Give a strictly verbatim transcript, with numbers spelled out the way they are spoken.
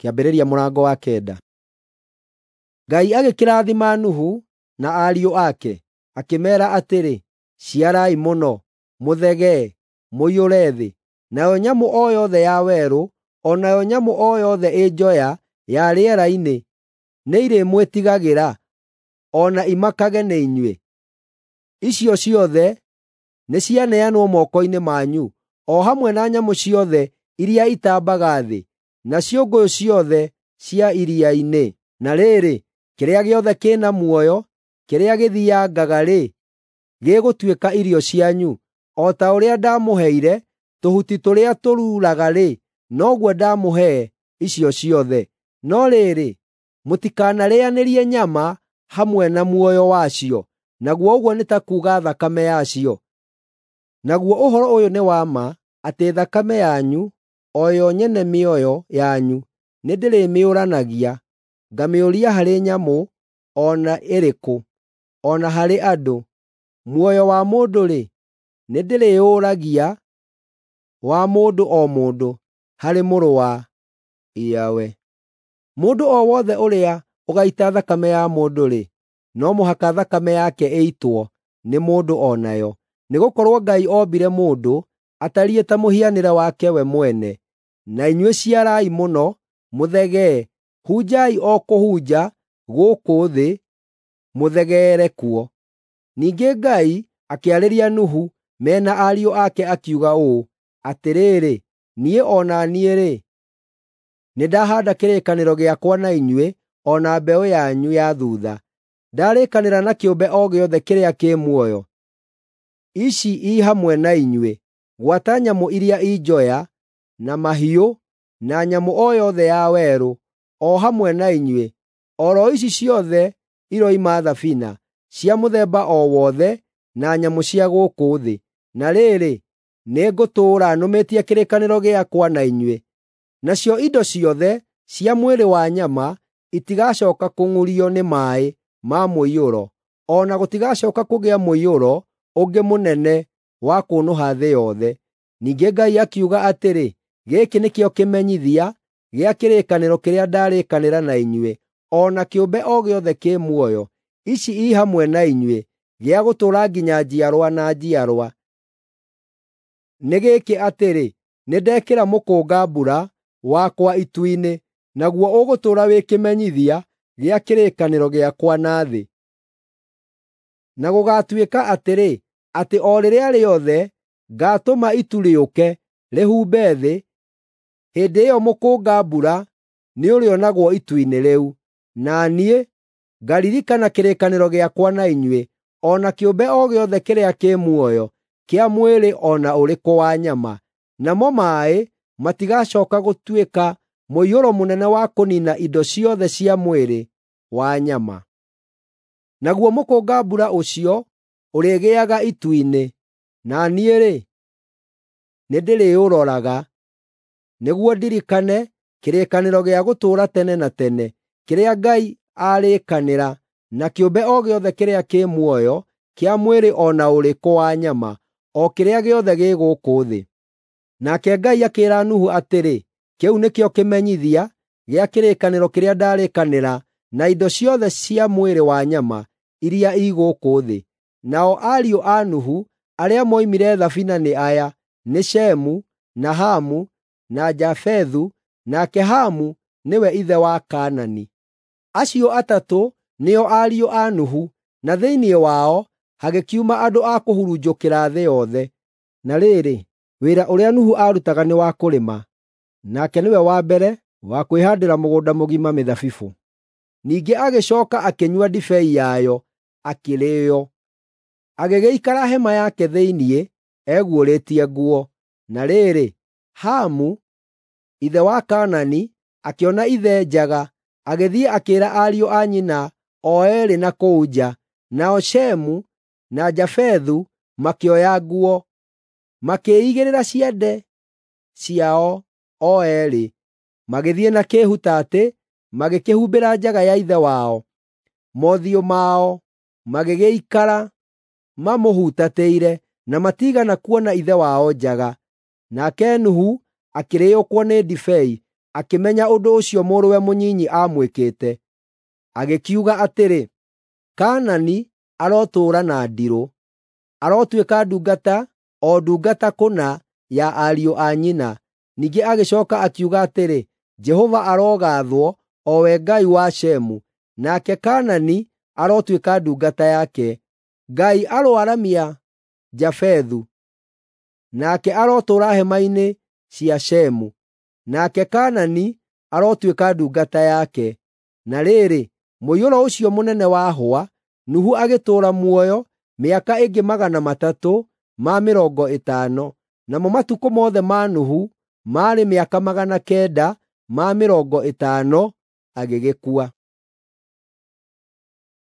Kĩambĩrĩria mũrango wa kenda. Ngai agĩkĩrathima Nuhu na ariũ ake, akĩmeera atĩrĩ, “Ciarai mũno, mũthegee, mũiyũre thĩ. Nayo nyamũ o yothe ya werũ, o nayo nyamũ o yothe ĩ njoya ya rĩera-inĩ nĩirĩmwĩtigagĩra, o na imakage nĩ inyuĩ. Icio ciothe nĩcianeanwo moko-inĩ manyu, o hamwe na nyamũ ciothe iria itambaga thĩ, na ciũngũyũ ciothe cia iria-inĩ. Na rĩrĩ, kĩrĩa gĩothe kĩ na muoyo kĩrĩa gĩthiiangaga-rĩ, gĩgũtuĩka irio cianyu. O ta ũrĩa ndamũheire tũhuti tũrĩa tũruraga-rĩ, noguo ndamũhe icio ciothe. No rĩrĩ, mũtikanarĩanĩrie nyama hamwe na muoyo wacio, naguo ũguo nĩ ta kuuga thakame yacio. Naguo ũhoro ũyũ nĩ wa ma, atĩ thakame yanyu, o yo nyene mĩoyo yanyu, nĩndĩrĩmĩũranagia, ngamĩũria harĩ nyamũ o na ĩrĩkũ, o na harĩ andũ. Muoyo wa mũndũ-rĩ, nĩndĩrĩũragia wa mũndũ o mũndũ harĩ mũrũ wa Yahweh. Mũndũ o wothe ũrĩa ũgaita thakame ya mũndũ-rĩ, no mũhaka thakame yake ĩitwo nĩ mũndũ o nayo, nĩgũkorwo Ngai ombire mũndũ atariĩ ta mũhianĩre wake we mwene. Na inyuĩ ciarai mũno, mũthegee, hunjai o kũhunja gũkũ thĩ, mũthegeere kuo. Ningĩ Ngai akĩarĩria Nuhu me na ariũ ake akiuga ũũ, “Atĩrĩrĩ, niĩ o na niĩ-rĩ, nĩndahaanda kĩrĩkanĩro gĩakwa na inyuĩ o na mbeũ yanyu ya thuutha. Ndarĩkanĩra na kĩũmbe o gĩothe kĩrĩa kĩ muoyo, ici i hamwe na inyuĩ, gwata nyamũ iria i njoya, na mahiũ, na nyamũ o yothe ya werũ, o hamwe na inyuĩ, o ro ici ciothe iroima thabina, cia mũthemba o wothe na nyamũ cia gũkũ thĩ. Na rĩrĩ, nĩngũtũũra nũmĩtie kĩrĩkanĩro gĩakwa na inyuĩ. Nacio indo ciothe cia mwĩrĩ wa nyama itigacooka kũng'urio nĩ maaĩ ma mũiyũro, o na gũtigacooka kũgĩa mũiyũro ũngĩ mũnene wa kũnũha thĩ yothe.” Ningĩ Ngai akiuga atĩrĩ, “Gĩkĩ nĩkĩo kĩmenyithia gĩa kĩrĩkanĩro kĩrĩa ndarĩkanĩra na inyuĩ o na kĩũmbe o gĩothe kĩ muoyo, ici i hamwe na inyuĩ, gĩa gũtũũra nginya njiarwa na njiarwa. Nĩ gĩkĩ atĩrĩ, nĩndekĩra mũkũnga-mbura wakwa itu-inĩ, naguo ũgũtũũra wĩ kĩmenyithia gĩa kĩrĩkanĩro gĩakwa na thĩ. Na gũgaatuĩka atĩrĩ, atĩ o rĩrĩa rĩothe ngaatũma itu rĩũke rĩhumbe thĩ, hĩndĩ ĩyo mũkũnga-mbura nĩũrĩonagwo itu-inĩ rĩu, na niĩ ngaririkana kĩrĩkanĩro gĩakwa na inyuĩ, o na kĩũmbe o gĩothe kĩrĩa kĩ muoyo kĩa mwĩrĩ o na ũrĩkũ wa nyama. Namo maaĩ matigacooka gũtuĩka mũiyũro mũnene wa kũniina indo ciothe cia mwĩrĩ wa nyama. Naguo mũkũnga-mbura ũcio ũrĩgĩaga itu-inĩ, na niĩ-rĩ, nĩndĩrĩũroraga, nĩguo ndirikane kĩrĩkanĩro gĩa gũtũũra tene na tene kĩrĩa Ngai aarĩkanĩra na kĩũmbe o gĩothe kĩrĩa kĩ muoyo kĩa mwĩrĩ o na ũrĩkũ wa nyama, o kĩrĩa gĩothe gĩ gũkũ thĩ.” Nake Ngai akĩĩra Nuhu atĩrĩ, “Kĩu nĩkĩo kĩmenyithia gĩa kĩrĩkanĩro kĩrĩa ndarĩkanĩra na indo ciothe cia mwĩrĩ wa nyama iria i gũkũ thĩ.” Nao ariũ a Nuhu arĩa moimire thabina nĩ aya: nĩ Shemu, na Hamu, na Jafethu, nake Hamu nĩwe ithe wa Kaanani. Acio atatũ nĩo ariũ a Nuhu, na thĩinĩ wao hagĩkiuma andũ a kũhurunjũkĩra thĩ yothe. Na rĩrĩ, wĩra ũrĩa Nuhu aarutaga nĩ wa kũrĩma, nake nĩwe wa mbere wa kwĩhaandĩra mũgũnda mũgima mĩthabibũ. Ningĩ agĩcooka akĩnyua ndibei yayo, akĩrĩĩo. Agĩgĩikara hema yake thĩinĩ eguũrĩtie nguo. Na rĩrĩ, Hamu, ithe wa Kaanani, akĩona ithe njaga, agĩthiĩ akĩĩra ariũ a nyina o eerĩ na kũu nja. Nao Shemu na Jafethu makĩoya nguo, makĩĩigĩrĩra ciande ciao o eerĩ, magĩthiĩ na kĩĩhutatĩ, magĩkĩhumbĩra njaga ya ithe wao. Mothiũ mao magĩgĩikara mamũhutatĩire, na matiigana kuona ithe wao njaga. Nake Nuhu akĩrĩĩũkwo nĩ ndibei, akĩmenya ũndũ ũcio mũrũwe mũnyinyi aamwĩkĩte, agĩkiuga atĩrĩ, “Kaanani arotũũra na ndirũ, arotuĩka ndungata, o ndungata kũna ya ariũ a nyina.” Ningĩ agĩcooka akiuga atĩrĩ, “Jehova arogaathwo, o we Ngai wa Shemu, nake Kaanani arotuĩka ndungata yake. Ngai aroaramia Jafethu, nake arotũũra hema-inĩ cia Shemu, nake Kaanani arotuĩka ndungata yake.” Na rĩrĩ, mũiyũro ũcio mũnene wahũa, Nuhu agĩtũũra muoyo mĩaka ĩngĩ magana matatũ ma mĩrongo ĩtano. Namo matukũ mothe ma Nuhu maarĩ mĩaka magana kenda ma mĩrongo ĩtano, agĩgĩkua.